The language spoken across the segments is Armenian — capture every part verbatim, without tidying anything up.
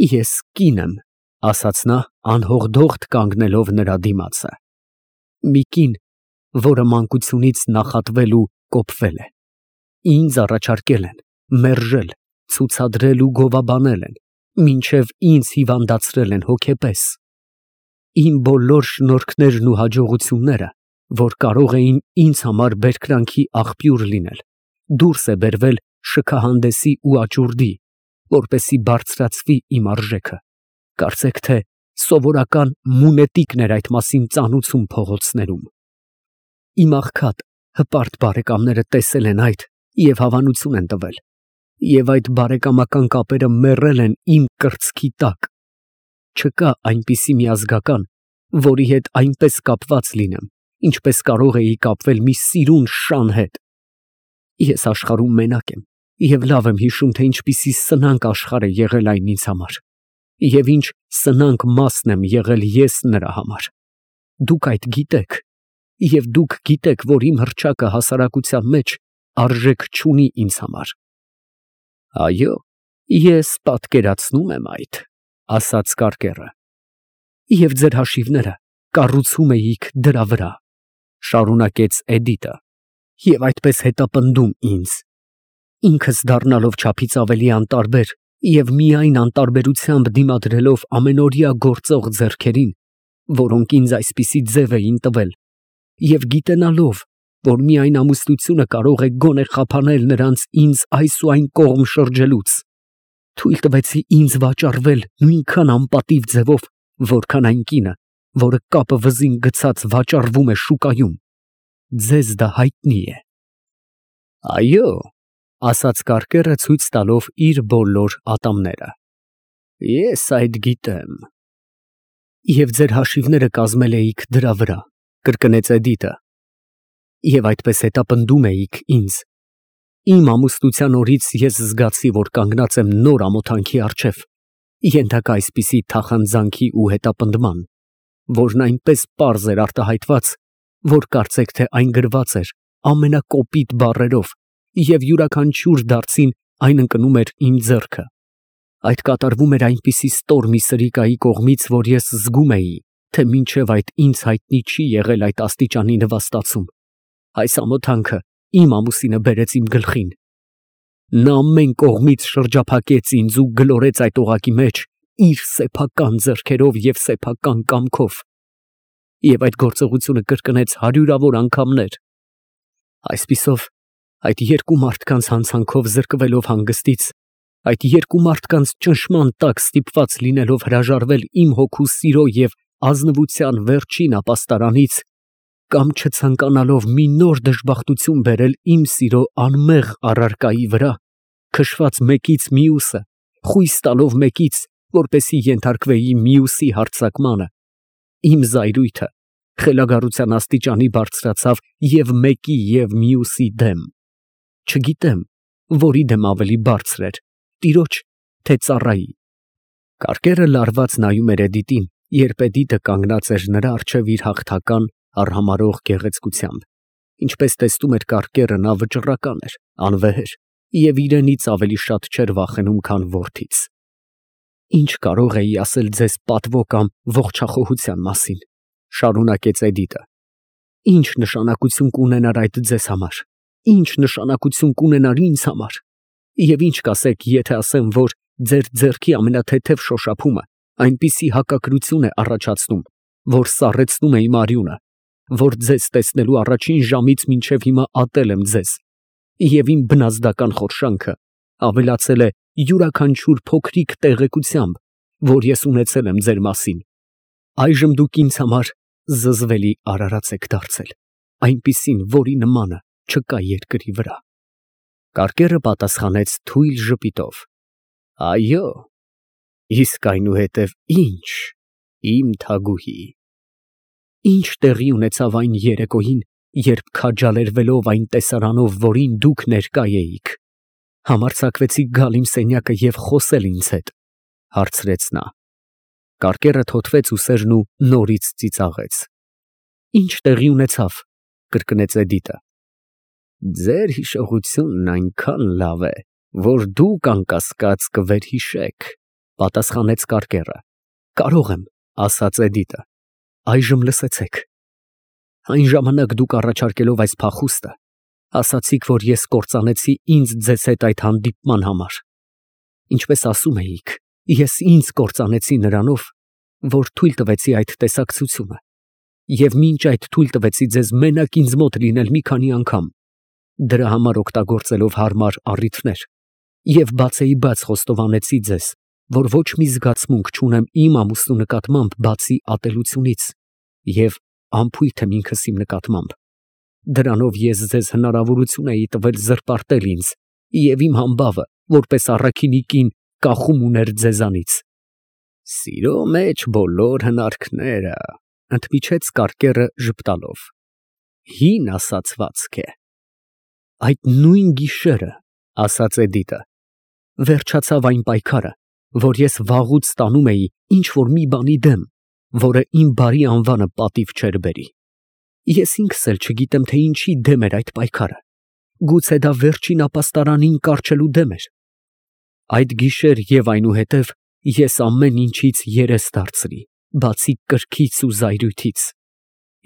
Ես կին եմ, ասաց նա անհողդողդ կանգնելով նրա դիմացը, մի կին, որը մանկությունից նախատվել ու կոպվել է, ինձ առաջարկել են, մերժել, ցուցադրել ու գովաբանել են, մինչև ինձ հիվանդացրել են հոգեպես, իմ բոլոր շնորհքներն ու հաջողությունները, որ կարող էին ինձ համար բերկրանքի աղբյուր լինել, դուրս է բերվել շքահանդեսի ու աճուրդի, որպեսզի բարձրացվի իմ արժեքը, կարծեք թե սովորական մունետիկն էր այդ մասին ծանուցում փողոցներում։ Իմ աղքատ, հպարտ բարեկամները տեսել են այդ և հավանություն են տվել, և այդ բարեկամական կապերը մեռել են իմ կրծքի տակ, չկա այնպիսի մի ազգական, որի հետ այնպես կապված լինեմ, ինչպես կարող էի կապվել մի սիրուն շան հետ։ Ես աշխարհում մենակ եմ և լավ եմ հիշում, թե ինչպիսի սնանկ աշխարհ է եղել այն ինձ համար, և ինչ սնանկ մասն եմ եղել ես նրա համար։ Դուք այդ գիտեք, և դուք գիտեք, որ իմ հռչակը հասարակության մեջ արժեք չունի ինձ համար։ Այո, ես պատկերացնում եմ այդ, ասաց կարկերը։ Եվ ձեր հաշիվները կառուցում էիք դրա վրա, շարունակեց Էդիտը, և այդպես հետապնդում ինձ, ինքս դառնալով չափից ավելի անտարբեր և միայն անտարբերությամբ դիմադրելով ամենօրյա գործող ձեռքերին, որոնք ինձ այսպիսի ձև էին տվել, և գիտենալով, որ միայն ամուսնությունը կարող է գոնե խափանել նրանց ինձ այս ու այն կողմ շրջելուց, թույլ տվեցի ինձ վաճառվել նույնքան անպատիվ ձևով, որքան այն կինը, որը կապը վզին գցած վաճառվում է շուկայում։ Ձեզ դա հայտնի է։ Այո, ասաց կարկերը ցույց տալով իր բոլոր ատամները, ես այդ գիտեմ։ Եվ ձեր հաշիվները կազմել էիք դրա վրա, կրկնեց Էդիտը, և այդպես հետապնդում էիք ինձ։ Իմ ամուսնության օրից ես զգացի, որ կանգնած եմ նոր ամոթանքի առջև, ենթակա այսպիսի թախանձանքի ու հետապնդման, որն այնպես պարզ էր արտահայտված, որ կարծեք թե այն գրված էր ամենակոպիտ բառերով, և յուրաքանչյուր դարձին այն ընկնում էր իմ ձեռքը։ Այդ կատարվում էր այնպիսի ստոր մի սրիկայի կողմից, որ ես զգում էի, թե մինչև այդ ինձ հայտնի չի եղել այդ աստիճանի նվաստացում։ Այս ամոթանքը իմ ամուսինը բերեց իմ գլխին։ Նա ամեն կողմից շրջափակեց ինձ ու գլորեց այդ օղակի մեջ իր սեփական ձեռքերով և սեփական կամքով, և այդ գործողությունը կրկնեց հարյուրավոր անգամներ։ Այսպիսով, այդ երկու մարդկանց հանցանքով զրկվելով հանգստից, այդ երկու մարդկանց ճնշման տակ ստիպված լինելով հրաժարվել իմ հոգու սիրո և ազնվության վերջին ապաստարանից, կամ չցանկանալով մի նոր դժբախտություն բերել իմ սիրո անմեղ առարկայի վրա, քշված մեկից մյուսը, խույս տալով մեկից, որպեսզի ենթարկվեի մյուսի հարձակմանը, իմ զայրույթը խելագարության աստիճանի բարձրացավ և մեկի և մյուսի դեմ։ Չգիտեմ, որի դեմ ավելի բարձր էր, տիրոջ, թե ծառայի։ Կարկերը լարված նայում էր Էդիտին, երբ Էդիտը կանգնած էր նրա առջև իր հաղթական արհամարհող գեղեցկությամբ, ինչպես տեսնում էր կարկերը, նա վճռական էր, անվեհեր և իրենից ավելի շատ չէր վախենում, քան որդից։ Ինչ կարող էի ասել ձեզ պատվո կամ ողջախոհության մասին, շարունակեց Էդիտը, ինչ նշանակություն կունենար այդ ձեզ համար, ինչ նշանակություն կունենար ինձ համար, և ինչ կասեք, եթե ասեմ, որ ձեր ձեռքի ամենաթեթև շոշափումը այնպիսի հակակրություն է առաջացնում, որ սառեցնում է իմ արյունը, որ ձեզ տեսնելու առաջին ժամից մինչև հիմա ատել եմ ձեզ, և իմ բնազդական խորշանքը ավելացել է յուրաքանչյուր փոքրիկ տեղեկությամբ, որ ես ունեցել եմ ձեր մասին։ Այժմ դուք ինձ համար զզվելի արարած եք դարձել, այնպիսին, որի նմանը չկա երկրի վրա։ Կարկերը պատասխանեց թույլ ժպիտով. Այո, իսկ այնուհետև ի՞նչ, իմ թագուհի։ Ինչ տեղի ունեցավ այն երեկոյին, երբ քաջալերվելով այն տեսարանով, որին դուք ներկա էիք, համարձակվեցիք գալ իմ սենյակը և խոսել ինձ հետ, հարցրեց նա։ Կարկերը թոթվեց ուսերն ու նորից ծիծաղեց։ Ինչ տեղի ունեցավ, կրկնեց Էդիտը։ Ձեր հիշողությունն այնքան լավ է, որ դուք անկասկած կվերհիշեք, Պատասխանեց կարկերը։ Կարող եմ, ասաց Էդիտը։ Այժմ լսեցեք։ Այն ժամանակ դուք առաջարկելով այս փախուստը, ասացիք, որ ես կործանեցի ինձ ձեզ հետ այդ հանդիպման համար։ Ինչպես ասում էիք, ես ինձ կործանեցի նրանով, որ թույլ տվեցի այդ տեսակցությունը, և մինչ այդ թույլ տվեցի ձեզ մենակ ինձ մոտ լինել մի քանի անգամ, դրա համար օգտագործելով հարմար առիթներ, և բացեիբաց խոստովանեցի ձեզ, որ ոչ մի զգացմունք չունեմ իմ ամուսնու նկատմամբ բացի ատելությունից, և անփույթ եմ ինքս իմ նկատմամբ։ Դրանով ես ձեզ հնարավորություն էի տվել զրպարտել ինձ, և իմ համբավը, որպես առաքինի կին, կախում ուներ ձեզանից։ Սիրո մեջ բոլոր հնարքները, ընդմիջեց կարկերը ժպտալով, հին ասացվածք է։ Այդ նույն գիշերը, ասաց Էդիտը, վերջացավ այն պայքարը, որ ես վաղուց տանում էի ինչ֊որ մի բանի դեմ, որը իմ բարի անվանը պատիվ չէր բերի։ Ես ինքս էլ չգիտեմ, թե ինչի դեմ էր այդ պայքարը, գուցե դա վերջին ապաստարանին կառչելու դեմ էր։ Այդ գիշեր և այնուհետև ես ամեն ինչից երես դարձրի, բացի կրքից ու զայրույթից։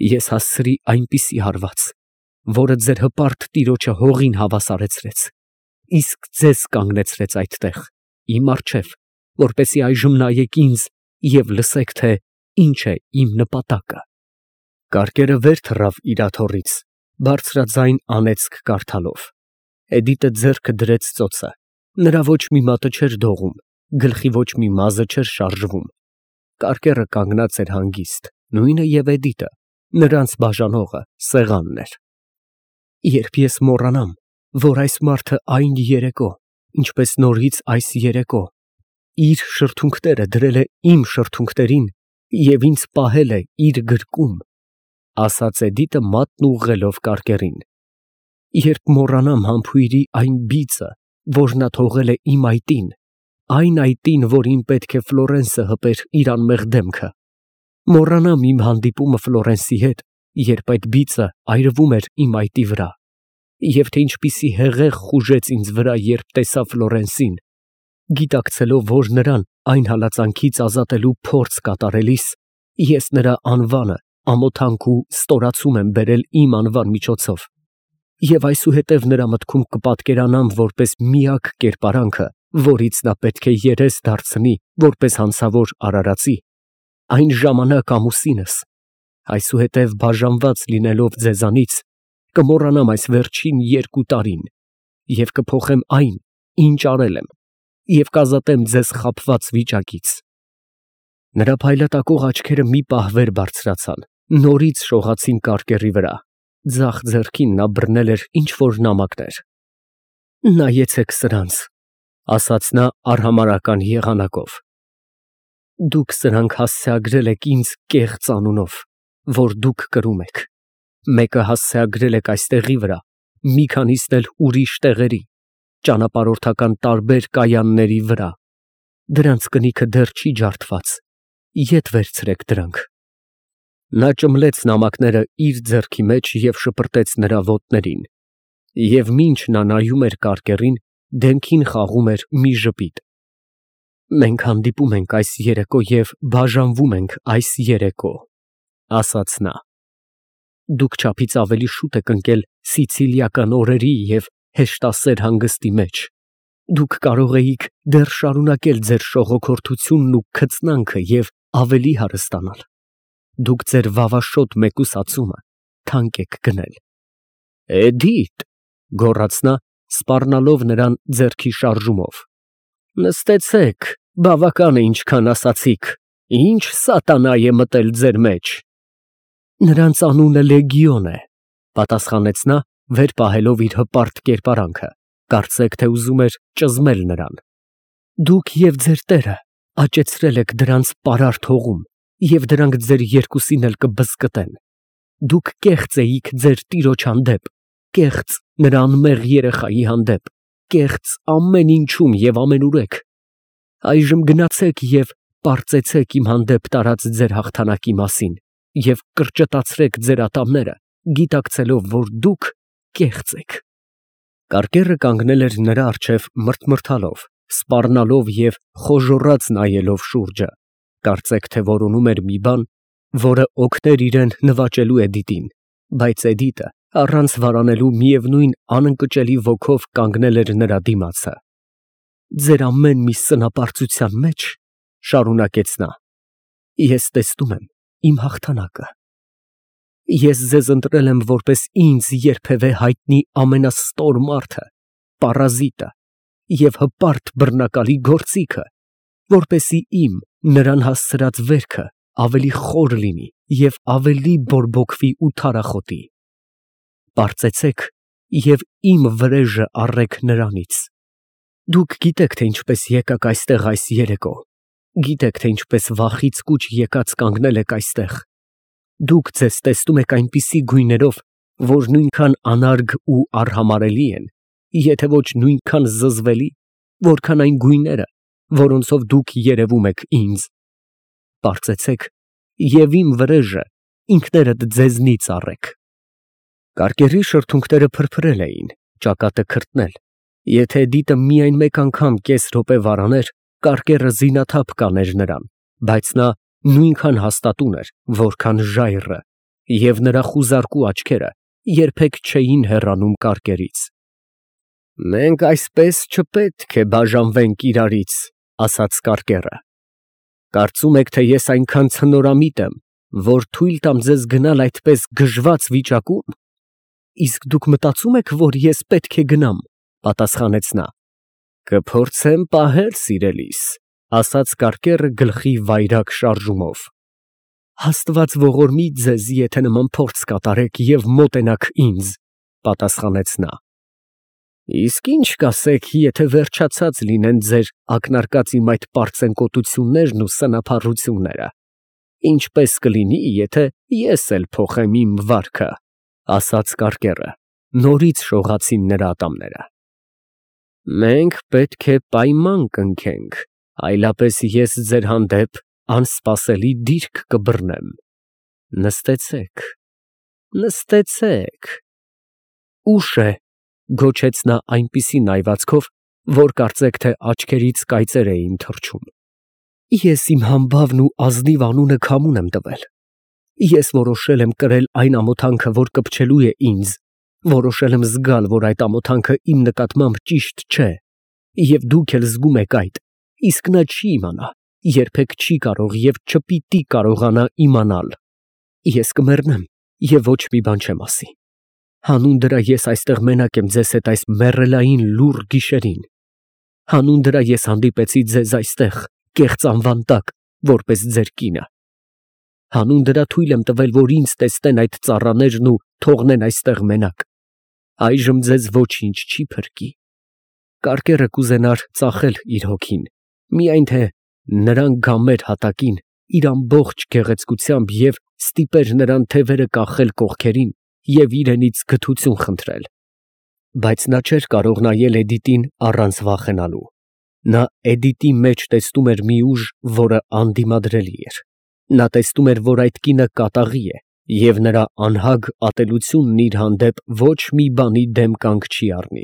Ես հասցրի այնպիսի հարված, որը ձեր հպարտ տիրոջը հողին հավասարեցրեց, իսկ ձեզ կանգնեցրեց այդտեղ, իմ առջև, որպեսզի այժմ նայեք ինձ և լսեք, թե ինչ է իմ նպատակը։ Կարկերը վեր թռավ իր աթոռից, բարձրաձայն անեծք կարդալով։ Էդիտը ձեռքը դրեց ծոցը, նրա ոչ մի մատը չէր դողում, գլխի ոչ մի մազը չէր շարժվում։ Կարկերը կանգնած էր հանգիստ, նույնը և Էդիտը, նրանց բաժանողը սեղանն էր։ Երբ ես մոռանամ, որ այս մարդը այն երեկո, ինչպես նորից այս երեկո, իր շրթունքները դրել է իմ շրթունքներին և ինձ պահել է իր գրկում, ասաց Էդիտը մատն ուղղելով կարկերին, երբ մոռանամ համբույրի այն բիծը, որ նա թողել է իմ այտին, այն այտին, որին պետք է Ֆլորենսը հպեր իր անմեղ դեմքը, մոռանամ իմ հանդիպումը Ֆլորենսի հետ, երբ այդ բիծը այրվում էր իմ այտի վրա, և թե ինչպիսի հեղեղ խուժեց ինձ վրա, երբ տեսա Ֆլորենսին, գիտակցելով, որ նրան այն հալածանքից ազատելու փորձ կատարելիս, ես նրա անվանը ամոթանք ու ստորացում եմ բերել իմ անվան միջոցով, և այսուհետև նրա մտքում կպատկերանամ որպես միակ կերպարանքը, որից նա պետք է երես դարձնի որպես հանցավոր արարածի, այն ժամանակ ամուսինս, այսուհետև բաժանված լինելով ձեզանից, կմոռանամ այս վերջին երկու տարին և կփոխեմ այն, ինչ արել եմ, և կազատեմ ձեզ խաբված վիճակից։ Նրա փայլատակող աչքերը մի պահ վեր բարձրացան, նորից շողացին կարկերի վրա, ձախ ձեռքին նա բռնել էր ինչ֊որ նամակներ։ Նայեցեք սրանց, ասաց նա արհամարհական եղանակով։ Դուք սրանք հասցեագրել եք ինձ կեղծ անունով, որ դուք կրում եք, մեկը հասցեագրել եք այս տեղի վրա, մի քանիսն էլ ուրիշ տեղերի, ճանապարհորդական տարբեր կայանների վրա, դրանց կնիքը դեռ չի ջարդված, ետ վերցրեք դրանք։ Նա ճմլեց նամակները իր ձեռքի մեջ և շպրտեց նրա ոտներին, և մինչ նա նայում էր կարկերին, դեմքին խաղում էր մի ժպիտ։ Մենք հանդիպում ենք այս երեկո և բաժանվում ենք այս երեկո, ասաց նա։ Դուք չափից ավելի շուտ եք ընկել սիցիլիական օրերի և հեշտասեր հանգստի մեջ, դուք կարող էիք դեռ շարունակել ձեր շողոքորթությունն ու քծնանքը և ավելի հարստանալ, դուք ձեր վավաշոտ մեկուսացումը թանկ եք գնել։ Էդիթ, գոռաց նա, սպառնալով նրան ձեռքի շարժումով, նստեցեք, բավական է ինչքան ասացիք, ինչ սատանա է մտել ձեր մեջ։ Նրանց անունը Լեգիոն է, պատասխանեց նա, վեր պահելով իր հպարտ կերպարանքը, կարծեք թե ուզում էր ճզմել նրան։ Դուք և ձեր տերը աճեցրել եք դրանց պարարտ հողում, և դրանք ձեր երկուսին էլ կբզկտեն։ Դուք կեղծ էիք ձեր տիրոջ հանդեպ, կեղծ նրա անմեղ երեխայի հանդեպ, կեղծ ամեն ինչում և ամենուրեք։ Այժմ գնացեք և պարծեցեք իմ հանդեպ տարած ձեր հաղթանակի մասին և կրճտացրեք ձեր ատամները, գիտակցելով, որ դուք կեղծ եք։ Կարկերը կանգնել էր նրա առջև մրթմրթալով, սպառնալով և խոժոռաց նայելով շուրջը, կարծեք թե որոնում էր մի բան, որը օգներ իրան նվաճելու Էդիտին, բայց Էդիտը առանց վարանելու միևնույն անընկճելի ոգով կանգնել էր նրա դիմացը։ Ձեր ամեն մի սնապարծության մեջ, շարունակեց նա, ես տեսնում եմ իմ հաղթանակը։ Ես ձեզ ընտրել եմ որպես ինձ երբևէ հայտնի ամենաստոր մարդը, պարազիտը և հպարտ բռնակալի գործիքը, որպեսզի իմ նրան հասցրած վերքը ավելի խոր լինի և ավելի բորբոքվի ու թարախոտի։ Պարծեցեք և իմ վրեժը առեք նրանից։ Դուք գիտեք, թե ինչպես եկաք այստեղ այս երեկո, գիտեք, թե ինչպես վախից կուչ եկած կանգնել եք այստեղ։ Դուք ձեզ տեսնում եք այնպիսի գույներով, որ նույնքան անարգ ու արհամարհելի են, եթե ոչ նույնքան զզվելի, որքան այն գույները, որոնցով դուք երևում եք ինձ։ Պարծեցեք և իմ վրեժը ինքներդ ձեզնից առեք։ Կարկերի շրթունքները փրփրել էին, ճակատը քրտնել, եթե Էդիտը միայն մեկ անգամ կես րոպե վարաներ, կարկերը զինաթափ կաներ նրան, բայց նա նույնքան հաստատուն էր, որքան ժայռը, և նրա խուզարկու աչքերը երբեք չէին հեռանում կարկերից։ Մենք այսպես չպետք է բաժանվենք իրարից, ասաց կարկերը։ Կարծում եք, թե ես այնքան ցնորամիտ եմ, որ թույլ տամ ձեզ գնալ այդպես գժված վիճակում։ Իսկ դուք մտածում եք, որ ես պետք է գնամ, պատասխանեց նա։ Կփորձեմ պահել, սիրելիս, ասաց կարկերը գլխի վայրագ շարժումով։ Աստված ողորմի ձեզ, եթե նման փորձ կատարեք և մոտենաք ինձ, պատասխանեց նա։ Իսկ ինչ կասեք, եթե վերջացած լինեն ձեր ակնարկած իմ այդ պարծենկոտություններն ու սնափառությունները, ինչպես կլինի, եթե ես էլ փոխեմ իմ վարքը, ասաց կարկերը, նորից շողացին նրա ատամները։ Մենք պետք է պայման կնքենք, այլապես ես ձեր հանդեպ անսպասելի դիրք կբռնեմ։ Նստեցեք, նստեցեք։ Ուշ է, գոչեց նա այնպիսի նայվածքով, որ կարծեք թե աչքերից կայծեր էին թռչում։ Ես իմ համբավն ու ազնիվ անունը քամուն եմ տվել։ Ես որոշել եմ կրել այն ամոթանքը, որ կպչելու է ինձ, որոշել եմ զգալ, որ այդ ամոթանքը իմ նկատմամբ ճիշտ չէ, և դուք էլ զգում եք այդ, իսկ նա չի իմանա, երբեք չի կարող և չպիտի կարողանա իմանալ։ Ես կմեռնեմ և ոչ մի բան չեմ ասի։ Հանուն դրա ես այստեղ մենակ եմ ձեզ հետ այս մեռելային լուռ գիշերին։ Հանուն դրա ես հանդիպեցի ձեզ այստեղ, կեղծ անվան տակ, որպես ձեր կինը։ Հանուն դրա թույլ եմ տվել, որ ինձ տեսնեն այդ ծառաներն ու թողնեն այստեղ մենակ։ Այժմ ձեզ ոչինչ չի փրկի։ Կարկերը կուզենար ծախել իր հոգին, միայն թե նրան գա մեր հատակին իր ամբողջ գեղեցկությամբ և ստիպեր նրան թևերը կախել կողքերին և իրենից գթություն խնդրել։ Բայց նա չէր կարող նայել Էդիտին առանց վախենալու։ Նա Էդիտի մեջ տեսնում էր մի ուժ, որը անդիմադրելի էր։ Նա տեսնում էր, որ այդ կինը կատաղի է, և նրա անհագ ատելությունն իր հանդեպ ոչ մի բանի դեմ կանգ չի առնի։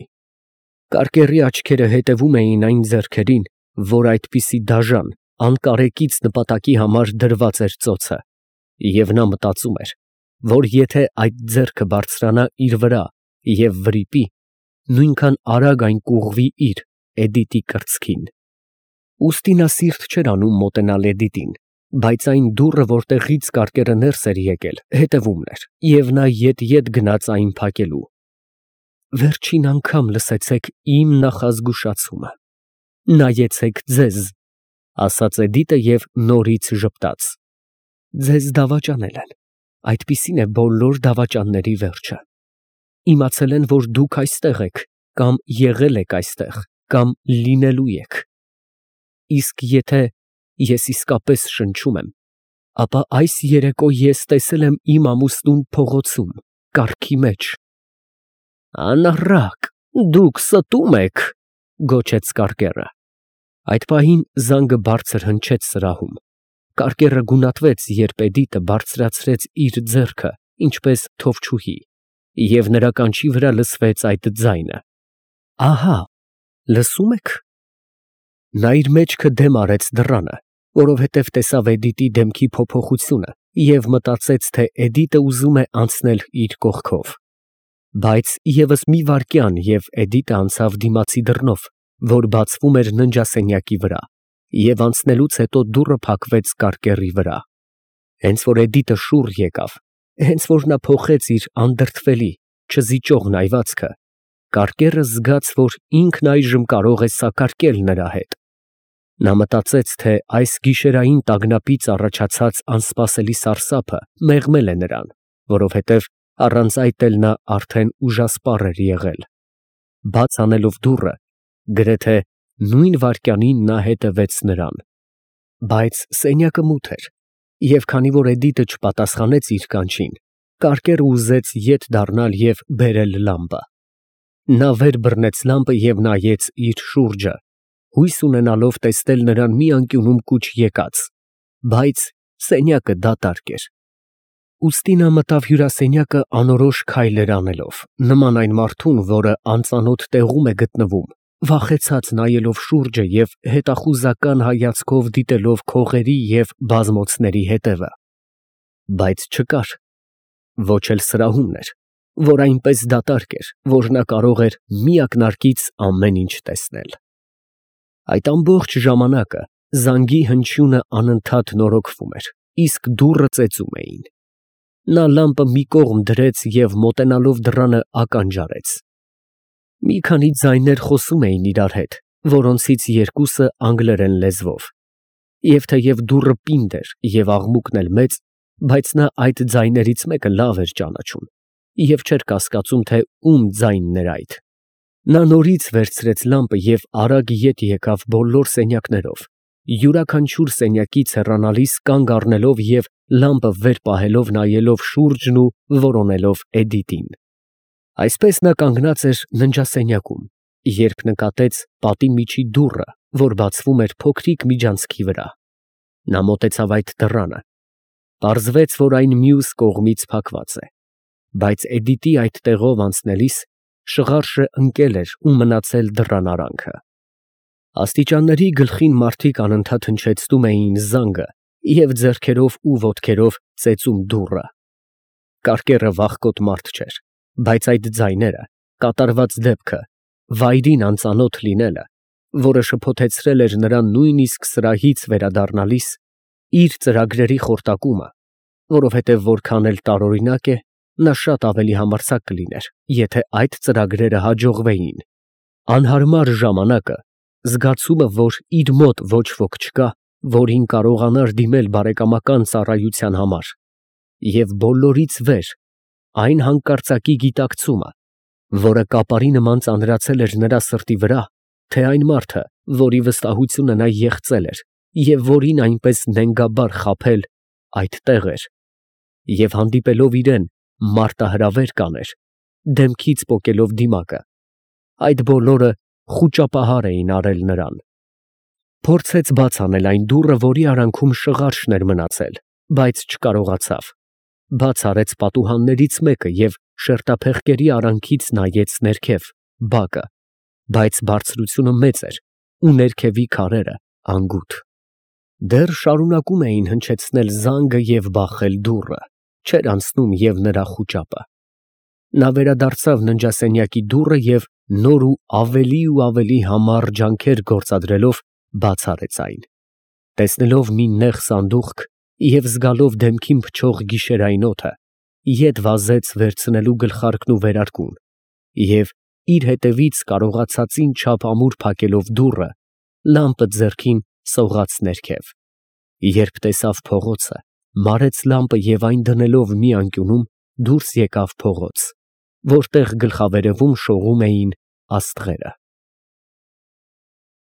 Կարկերի աչքերը հետևում էին այն ձեռքերին, որ այդպիսի դաժան, անկարեկից նպատակի համար դրված էր ծոցը, և նա մտածում էր, որ եթե այդ ձեռքը բարձրանա իր վրա և վրիպի, նույնքան արագ այն կուղղվի իր, Էդիտի կրծքին։ Ուստի նա սիրտ չէր անում մոտենալ Էդիտին, բայց այն դուռը, որտեղից կարկերը ներս էր եկել, հետևումն էր, և նա ետ֊ետ գնաց այն փակելու։ Վերջին անգամ լսեցեք իմ նախազգուշացումը, նայեցեք ձեզ, ասաց Էդիտը և նորից ժպտաց։ Ձեզ դավաճանել են, այդպիսին է բոլոր դավաճանների վերջը։ Իմացել են, որ դուք այստեղ եք, կամ եղել եք այստեղ, կամ լինելու եք։ Իսկ եթե ես իսկապես շնչում եմ, ապա այս երեկո ես տեսել եմ իմ ամուսնուն փողոցում, կառքի մեջ։ Անառակ, դուք ստում եք, գոչեց կարկերը։ Այդ պահին զանգը բարձր հնչեց սրահում։ Կարկերը գունատվեց, երբ Էդիտը բարձրացրեց իր ձեռքը, ինչպես թովչուհի, և նրա կանչի վրա լսվեց այդ ձայնը. ահա, լսում եք։ Նա իր մեջքը դեմ արեց դռանը, որովհետև տեսավ Էդիտի դեմքի փոփոխությունը և մտածեց, թե Էդիտը ուզում է անցնել իր կողքով։ Բայց ևս մի վայրկյան, և Էդիտը անցավ դիմացի դռնով, որ բացվում էր ննջասենյակի վրա, և անցնելուց հետո դուռը փակվեց կարկեռի վրա։ Հենց որ Էդիտը շուռ եկավ, հենց որ նա փոխեց իր անդրդվելի, չզիջող նայվածքը, կարկեռը զգաց, որ ինքն այժմ կարող է սակարկել նրա հետ։ Նա մտածեց, թե այս գիշերային տագնապից առաջացած անսպասելի սարսափը մեղմել է նրան, որովհետև առանց այդ էլ նա արդեն ուժասպառ էր եղել։ Բաց անելով դուռը, գրեթե նույն վայրկյանին նա հետևեց նրան։ Բայց սենյակը մութ էր, և քանի որ Էդիտը չպատասխանեց իր կանչին, կարկեռը ուզեց ետ դառնալ և բերել լամպը։ Նա վեր բռնեց լամպը և նայեց իր շուրջը, հույս ունենալով տեսնել նրան մի անկյունում կուչ եկած, բայց սենյակը դատարկ էր։ Ուստի նա մտավ հյուրասենյակը անորոշ քայլեր անելով, նման այն մարդուն, որը անծանոթ տեղում է գտնվում, վախեցած նայելով շուրջը և հետախուզական հայացքով դիտելով քողերի և բազմոցների հետևը։ Բայց չկար։ Ոչ էլ սրահումն էր, որ այնպես դատարկ էր, որ նա կարող էր մի ակնարկից ամեն ինչ տեսնել։ Այդ ամբողջ ժամանակը զանգի հնչյունը անընդհատ նորոգվում էր, իսկ դուռը ծեծում էին։ Նա լամպը մի կողմ դրեց և մոտենալով դռանը ականջ արեց։ Մի քանի ձայներ խոսում էին իրար հետ, որոնցից երկուսը անգլերեն լեզվով, և թեև դուռը պինդ էր և աղմուկն էլ մեծ, բայց նա այդ ձայներից մեկը լավ էր ճանաչում և չէր կասկածում, թե ում ձայնն էր այդ։ Նա նորից վերցրեց լամպը և արագ ետ եկավ բոլոր սենյակներով, յուրաքանչյուր սենյակից հեռանալիս կանգ առնելով և լամպը վեր պահելով նայելով շուրջն ու որոնելով Էդիտին։ Այսպես նա կանգնած էր ննջասենյակում, երբ նկատեց պատի միջի դուռը, որ բացվում էր փոքրիկ միջանցքի վրա։ Նա մոտեցավ այդ դռանը։ Պարզվեց, որ այն մյուս կողմից փակված է, բայց Էդիտի այդ տեղով անցնելիս շղարշը ընկել էր ու մնացել դռան արանքը։ Աստիճանների գլխին մարդիկ անընդհատ հնչեցնում էին զանգը և ձեռքերով ու ոտքերով ծեծում դուռը։ Կարկեռը վախկոտ մարդ չէր, բայց այդ ձայները, կատարված դեպքը, վայրին անծանոթ լինելը, որը շփոթեցրել էր նրան նույնիսկ սրահից վերադառնալիս, իր ծրագրերի խորտակումը, որովհետև որքան էլ տարօրինակ է, նա շատ ավելի համարձակ կլիներ, եթե այդ ծրագրերը հաջողվեին, անհարմար ժամանակը, զգացումը, որ իր մոտ ոչ ոք չկա, որին կարողանար դիմել բարեկամական ծառայության համար, և բոլորից վեր այն հանկարծակի գիտակցումը, որը կապարի նման ծանրացել էր նրա սրտի վրա, թե այն մարդը, որի վստահությունը նա եղծել էր և որին այնպես նենգաբար խաբել, այդտեղ էր, և հանդիպելով իրեն, մարտահրավեր կաներ, դեմքից պոկելով դիմակը, այդ բոլորը խուճապահար էին արել նրան։ Փորձեց բաց անել այն դուռը, որի արանքում շղարշն էր մնացել, բայց չկարողացավ։ Բաց արեց պատուհաններից մեկը և շերտափեղկերի արանքից նայեց ներքև, բակը, բայց բարձրությունը մեծ էր ու ներքևի քարերը անգութ։ Դեռ շարունակում էին հնչեցնել զանգը և բախել դուռը, չէր անցնում և նրա խուճապը։ Նա վերադարձավ ննջասենյակի դուռը և նոր ու ավելի ու ավելի համառ ջանքեր գործադրելով բաց արեց այն։ Տեսնելով մի նեղ սանդուղք և զգալով դեմքին փչող գիշերային օդը, ետ վազեց վերցնելու գլխարկն ու վերարկուն և, իր հետևից կարողացածին չափ ամուր փակելով դուռը, լամպը ձեռքին սողաց ներքև։ Երբ տեսավ փողոցը, մարեց լամպը և այն դնելով մի անկյունում, դուրս եկավ փողոց, որտեղ գլխավերևում շողում էին աստղերը։